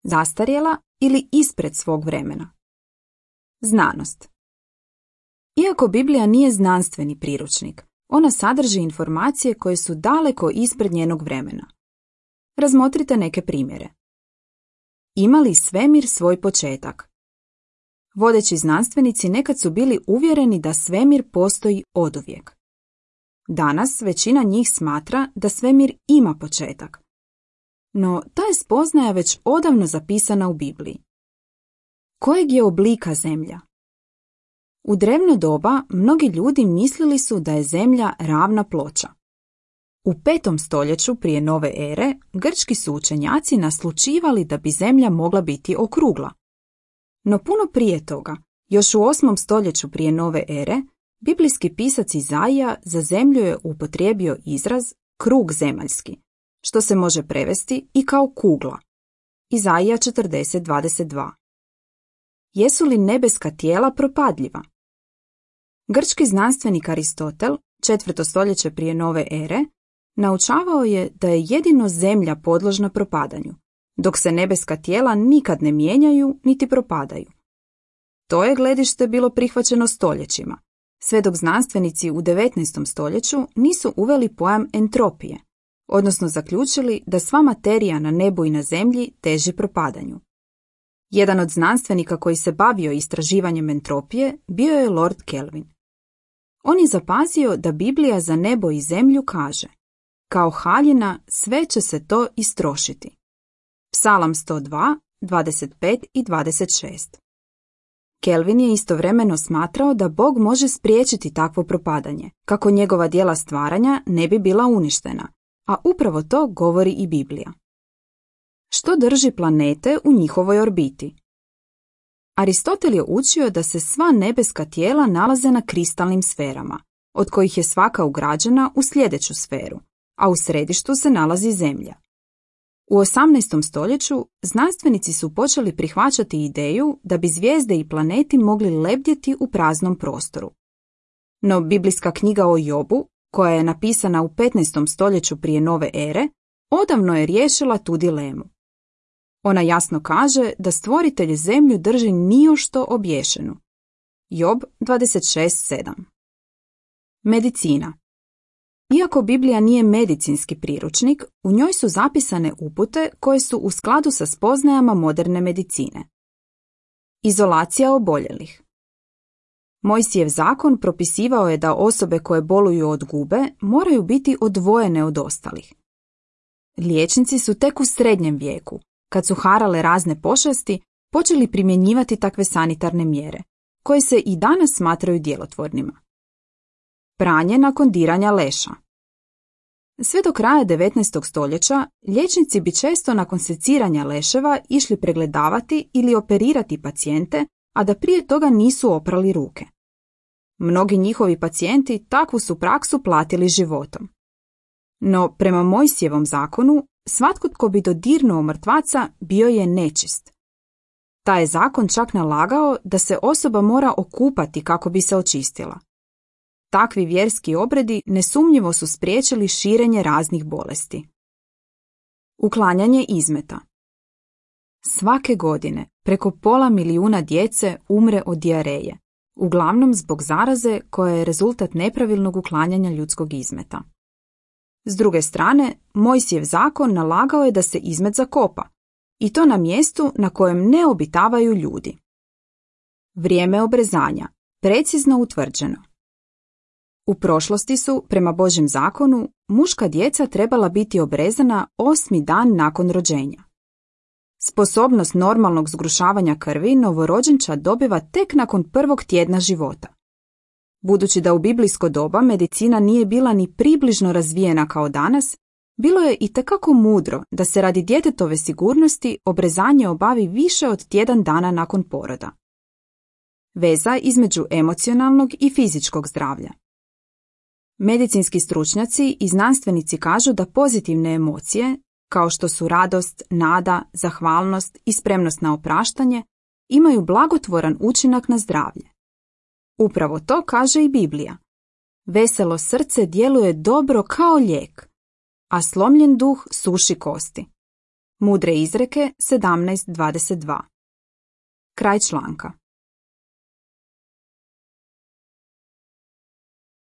zastarjela ili ispred svog vremena. Znanost. Iako Biblija nije znanstveni priručnik, ona sadrži informacije koje su daleko ispred njenog vremena. Razmotrite neke primjere. Ima li svemir svoj početak? Vodeći znanstvenici nekad su bili uvjereni da svemir postoji oduvijek. Danas većina njih smatra da svemir ima početak. No, ta je spoznaja već odavno zapisana u Bibliji. Kojeg je oblika zemlja? U drevno doba mnogi ljudi mislili su da je zemlja ravna ploča. U 5. stoljeću prije nove ere grčki su učenjaci naslućivali da bi zemlja mogla biti okrugla. No puno prije toga, još u 8. stoljeću prije nove ere, biblijski pisac Izaija za zemlju je upotrijebio izraz krug zemaljski, što se može prevesti i kao kugla. Izaija 40:22. Jesu li nebeska tijela propadljiva? Grčki znanstvenik Aristotel, 4. stoljeće prije nove ere, naučavao je da je jedino zemlja podložna propadanju, dok se nebeska tijela nikad ne mijenjaju niti propadaju. To je gledište bilo prihvaćeno stoljećima, sve dok znanstvenici u 19. stoljeću nisu uveli pojam entropije, odnosno zaključili da sva materija na nebu i na zemlji teži propadanju. Jedan od znanstvenika koji se bavio istraživanjem entropije bio je Lord Kelvin. On je zapazio da Biblija za nebo i zemlju kaže: kao haljina sve će se to istrošiti. Psalam 102, 25 i 26. Kelvin je istovremeno smatrao da Bog može spriječiti takvo propadanje, kako njegova djela stvaranja ne bi bila uništena, a upravo to govori i Biblija. Što drži planete u njihovoj orbiti? Aristotel je učio da se sva nebeska tijela nalaze na kristalnim sferama, od kojih je svaka ugrađena u sljedeću sferu, a u središtu se nalazi Zemlja. U 18. stoljeću znanstvenici su počeli prihvaćati ideju da bi zvijezde i planeti mogli lebdjeti u praznom prostoru. No biblijska knjiga o Jobu, koja je napisana u 15. stoljeću prije nove ere, odavno je riješila tu dilemu. Ona jasno kaže da stvoritelj zemlju drži nijošto obješenu. Job 26:7. Medicina. Iako Biblija nije medicinski priručnik, u njoj su zapisane upute koje su u skladu sa spoznajama moderne medicine. Izolacija oboljelih. Mojsijev zakon propisivao je da osobe koje boluju od gube moraju biti odvojene od ostalih. Liječnici su tek u srednjem vijeku, kad su harale razne pošasti, počeli primjenjivati takve sanitarne mjere, koje se i danas smatraju djelotvornima. Pranje nakon diranja leša. Sve do kraja 19. stoljeća liječnici bi često nakon seciranja leševa išli pregledavati ili operirati pacijente, a da prije toga nisu oprali ruke. Mnogi njihovi pacijenti takvu su praksu platili životom. No, prema Mojsijevom zakonu, svatko tko bi dodirnuo mrtvaca bio je nečist. Taj je zakon čak nalagao da se osoba mora okupati kako bi se očistila. Takvi vjerski obredi nesumnjivo su spriječili širenje raznih bolesti. Uklanjanje izmeta. Svake godine preko 500 milijuna djece umre od dijareje, uglavnom zbog zaraze koja je rezultat nepravilnog uklanjanja ljudskog izmeta. S druge strane, Mojsijev zakon nalagao je da se izmet zakopa, i to na mjestu na kojem ne obitavaju ljudi. Vrijeme obrezanja, precizno utvrđeno. U prošlosti su, prema Božjem zakonu, muška djeca trebala biti obrezana 8. dan nakon rođenja. Sposobnost normalnog zgrušavanja krvi novorođenčad dobiva tek nakon 1. tjedna života. Budući da u biblijsko doba medicina nije bila ni približno razvijena kao danas, bilo je itekako mudro da se radi djetetove sigurnosti obrezanje obavi više od tjedan dana nakon poroda. Veza između emocionalnog i fizičkog zdravlja. Medicinski stručnjaci i znanstvenici kažu da pozitivne emocije, kao što su radost, nada, zahvalnost i spremnost na opraštanje, imaju blagotvoran učinak na zdravlje. Upravo to kaže i Biblija. Veselo srce djeluje dobro kao lijek, a slomljen duh suši kosti. Mudre izreke 17.22. Kraj članka.